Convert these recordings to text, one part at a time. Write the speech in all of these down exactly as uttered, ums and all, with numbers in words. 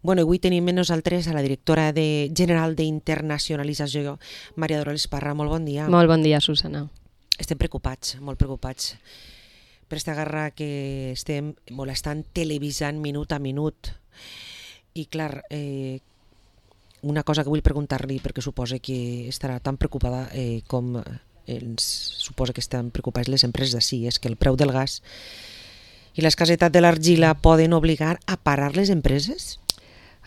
Bueno, avui tenim amb nosaltres a la directora de general d'internacionalització, Maria Dolors Parra. Molt bon dia. Molt bon dia, Susana. Estem preocupats, molt preocupats, per aquesta guerra que estem molestant, televisant minut a minut. I clar, eh, una cosa que vull preguntar-li, perquè suposa que estarà tan preocupada eh, com ens suposa que estan preocupades les empreses d'ací, és que el preu del gas i l'escassetat de l'argila poden obligar a parar les empreses?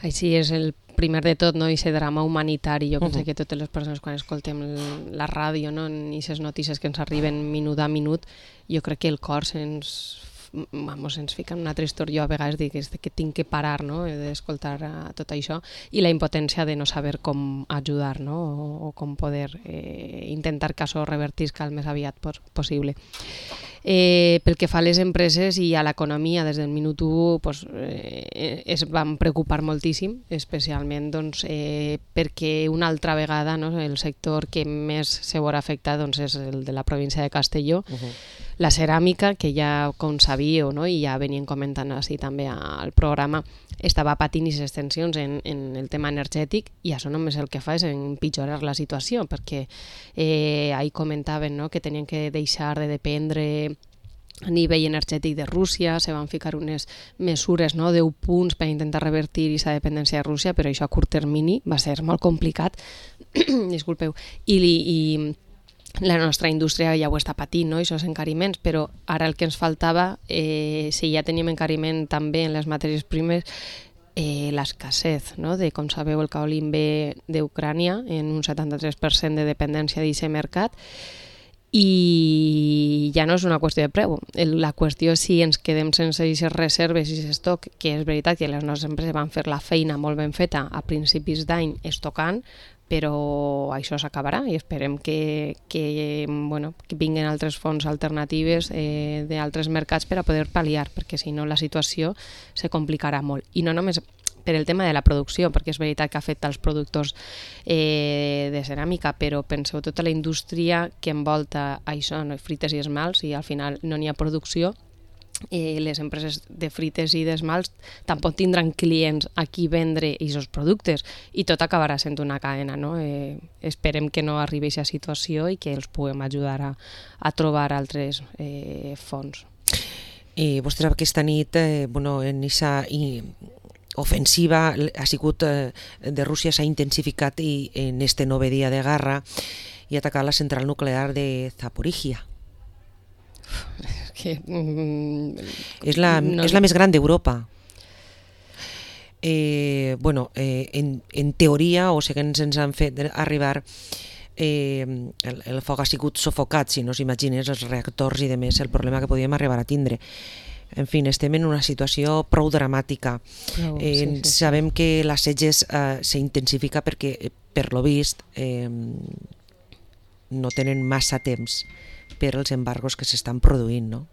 Així és el primer de tot, no? Aquest drama humanitari. Jo penso uh -huh. que totes les persones quan escoltem la ràdio, no? I aquestes notícies que ens arriben minut a minut, jo crec que el cor se'ns vamos, ens fica en una tristor. Jo a vegades dic que tinc que parar, no? D'escoltar tot això, i la impotència de no saber com ajudar, no? o, o com poder eh, intentar que això revertisca el més aviat possible. Eh, pel que fa a les empreses i a l'economia, des del minut u pues, eh, es van preocupar moltíssim, especialment doncs, eh, perquè una altra vegada, no, el sector que més se veurà afectat doncs, és el de la província de Castelló. Uh-huh. La ceràmica, que ja com sabíeu, no, i ja venien comentant així també al programa, estava patint aquestes tensions en, en el tema energètic, i això només el que fa és empitjorar la situació, perquè eh, ahir comentaven, no, que tenien que deixar de dependre a nivell energètic de Rússia, se van ficar unes mesures, no, deu punts per intentar revertir aquesta dependència de Rússia, però això a curt termini va ser molt complicat. Disculpeu. I, i la nostra indústria ja ho està patint, no? Aquests encariments, però ara el que ens faltava, eh, si ja teníem encariment també en les matèries primes, eh, l'escassez, no? De, com sabeu, el caolín ve d'Ucrània en un setanta-tres per cent de dependència d'aquest mercat, i ja no és una qüestió de preu. La qüestió és si ens quedem sense aquestes reserves i aquest estoc, que és veritat que les nostres empreses van fer la feina molt ben feta a principis d'any estocant, però això s'acabarà i esperem que, que, bueno, que vinguin altres fonts alternatives eh, d'altres mercats per a poder pal·liar, perquè si no la situació se complicarà molt. I no només per el tema de la producció, perquè és veritat que afecta els productors eh, de ceràmica, però penseu tota la indústria que envolta això, no? Frites i esmalts, i al final no n'hi ha producció. Eh, les empreses de frites i d'esmalts tampoc tindran clients a qui vendre aquests productes, i tot acabarà sent una cadena, no? Eh, esperem que no arribi a aquesta situació i que els puguem ajudar a, a trobar altres eh, fonts. I vostè sap que aquesta nit, eh, bueno, en aquesta ofensiva ha sigut eh, de Rússia, s'ha intensificat i en este nove dia de guerra i ha atacat la central nuclear de Zaporizhia. Que, mm, és, la, no... és la més gran d'Europa. Eh, bueno, eh, en, en teoria, o segons ens han fet arribar, eh, el, el foc ha sigut sufocat, si no s'imagines, els reactors i demés, el problema que podíem arribar a tindre. En fi, estem en una situació prou dramàtica. Oh, eh, sí, sí, sabem sí. que l'assetge eh, s'intensifica perquè, per lo vist, eh, no tenen massa temps per als embargos que s'estan produint, no?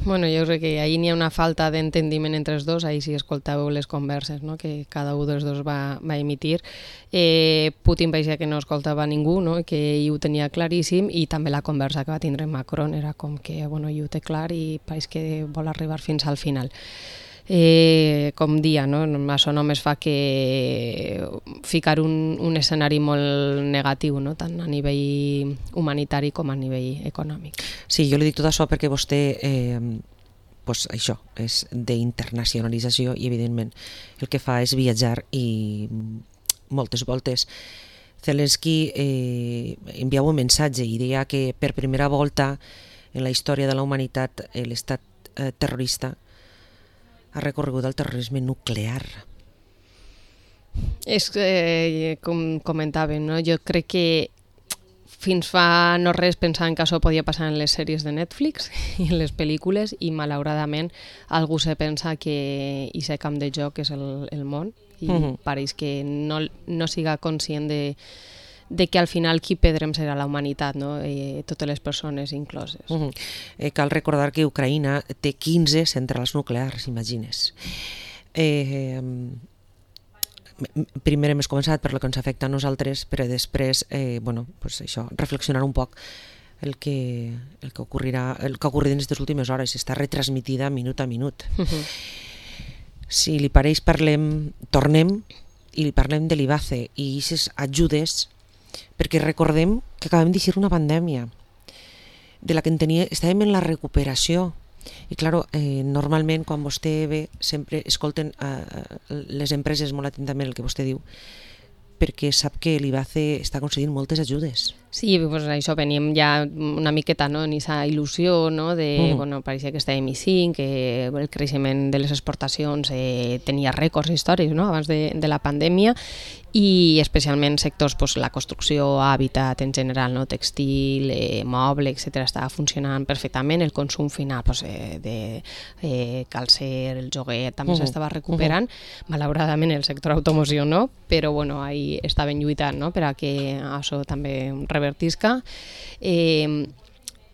Bueno, jo crec que ahir n'hi ha una falta d'entendiment entre els dos, ahir si escoltàveu les converses, no? Que cada un dels dos va, va emitir. Eh, Putin parecia que no escoltava ningú, no? Que ell ho tenia claríssim, i també la conversa que va tindre Macron era com que, bueno, ell ho té clar i pareix que vol arribar fins al final. Eh, com dia, no? Això només fa que ficar un, un escenari molt negatiu, no? Tant a nivell humanitari com a nivell econòmic. Sí, jo li dic tot això perquè vostè eh, pues això és d'internacionalització i evidentment el que fa és viatjar i moltes voltes. Zelensky eh, enviava un missatge i deia que per primera volta en la història de la humanitat l'estat eh, terrorista ha recorregut el terrorisme nuclear. És eh, com comentàvem, no? Jo crec que fins fa no res pensaven que això podia passar en les sèries de Netflix i en les pel·lícules, i malauradament algú se pensa que aquest camp de joc és el, el món, i uh-huh. pareix que no, no siga conscient de de que al final qui perdrem serà la humanitat, no? Eh, totes les persones incloses. Uh-huh. eh, cal recordar que Ucraïna té quinze centrals nuclears, imagines. Eh, primer hem començat per lo que ens afecta a nosaltres, però després, eh, bueno, pues això, reflexionar un poc el que, el que ocorrirà, el que ha ocorrit en aquestes últimes hores, està retransmitida minut a minut. Uh-huh. si li pareix, parlem, tornem i li parlem de l'I B A C E i aquestes ajudes, perquè recordem que acabem d'eixir una pandèmia de la que en tenia, estàvem en la recuperació i claro, eh, normalment quan vostè ve sempre escolten eh, les empreses molt atentament el que vostè diu, perquè sap que l'I B A C E està concedint moltes ajudes. Sí, pues això, veníem ja una miqueta no, en aquesta il·lusió no, de, mm. bueno, pareixia que estàvem i cinc, que el creixement de les exportacions eh, tenia rècords històrics no, abans de, de la pandèmia i especialment sectors, pues, la construcció, hàbitat en general, no, textil, eh, moble, etcètera, estava funcionant perfectament, el consum final pues, eh, de eh, calcer, el joguet, també uh -huh. s'estava recuperant, uh -huh. malauradament el sector automoció no, però bueno, ahí estaven lluitant no, per a que això també revertisca eh,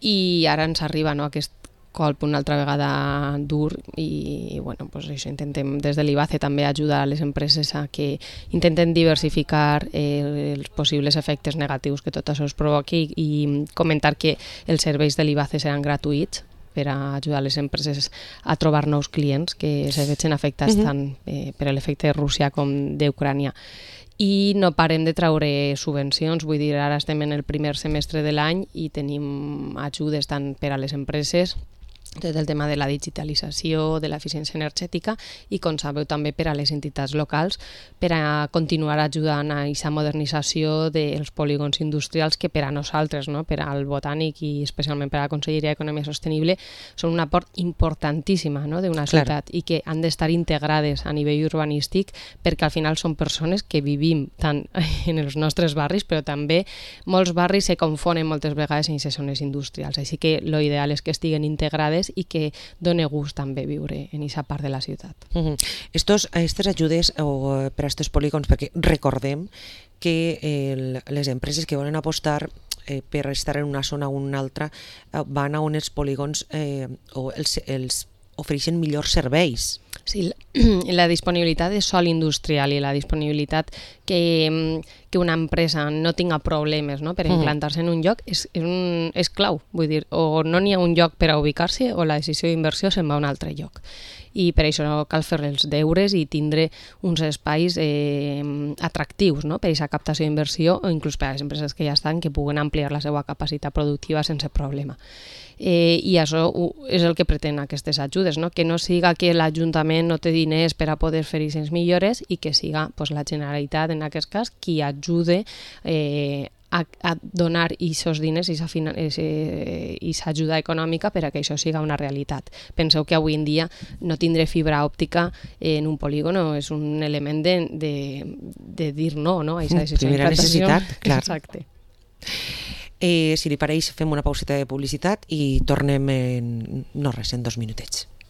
i ara ens arriba no, aquest colp una altra vegada dur i bueno, pues això, intentem des de l'I B A C E també ajudar a les empreses a que intenten diversificar eh, els possibles efectes negatius que tot això es provoqui i comentar que els serveis de l'I B A C E seran gratuïts per a ajudar les empreses a trobar nous clients que se vegin afectats uh-huh. tant eh, per l'efecte de Rússia com d'Ucrània. I no parem de treure subvencions, vull dir, ara estem en el primer semestre de l'any i tenim ajudes tant per a les empreses, tot el tema de la digitalització, de l'eficiència energètica i, com sabeu, també per a les entitats locals per a continuar ajudant a aquesta modernització dels polígons industrials que per a nosaltres, no? Per al Botànic i especialment per a la Conselleria d'Economia Sostenible, són una part importantíssima no? d'una ciutat i que han d'estar integrades a nivell urbanístic perquè al final són persones que vivim tant en els nostres barris, però també molts barris se confonen moltes vegades en aquestes zones industrials. Així que l'ideal és que estiguen integrades i que doni gust també viure en aquesta part de la ciutat. Uh-huh. Estos, aquestes ajudes o, per a aquests polígons, perquè recordem que el, les empreses que volen apostar eh, per estar en una zona o una altra eh, van a on els polígons eh, o els, els ofereixen millors serveis. Sí, la disponibilitat de sòl industrial i la disponibilitat que, que una empresa no tinga problemes no, per implantar-se en un lloc és, és, un, és clau. Vull dir, o no n'hi ha un lloc per a ubicar-se o la decisió d'inversió se'n va a un altre lloc. I per això cal fer els deures i tindre uns espais eh, atractius no? per a aquesta captació d'inversió o inclús per a les empreses que ja estan que puguen ampliar la seva capacitat productiva sense problema. Eh, I això és el que pretén aquestes ajudes, no? Que no siga que l'Ajuntament no té diners per a poder fer aquestes millores i que siga pues, la Generalitat, en aquest cas, qui ajude eh, a, a donar aquests diners i aquesta ajuda econòmica per a que això siga una realitat. Penseu que avui en dia no tindre fibra òptica en un polígon és un element de, de, de dir no, no? A aquesta primera necessitat, clar. Exacte. Eh, si li pareix, fem una pauseta de publicitat i tornem en, no res, en dos minutets.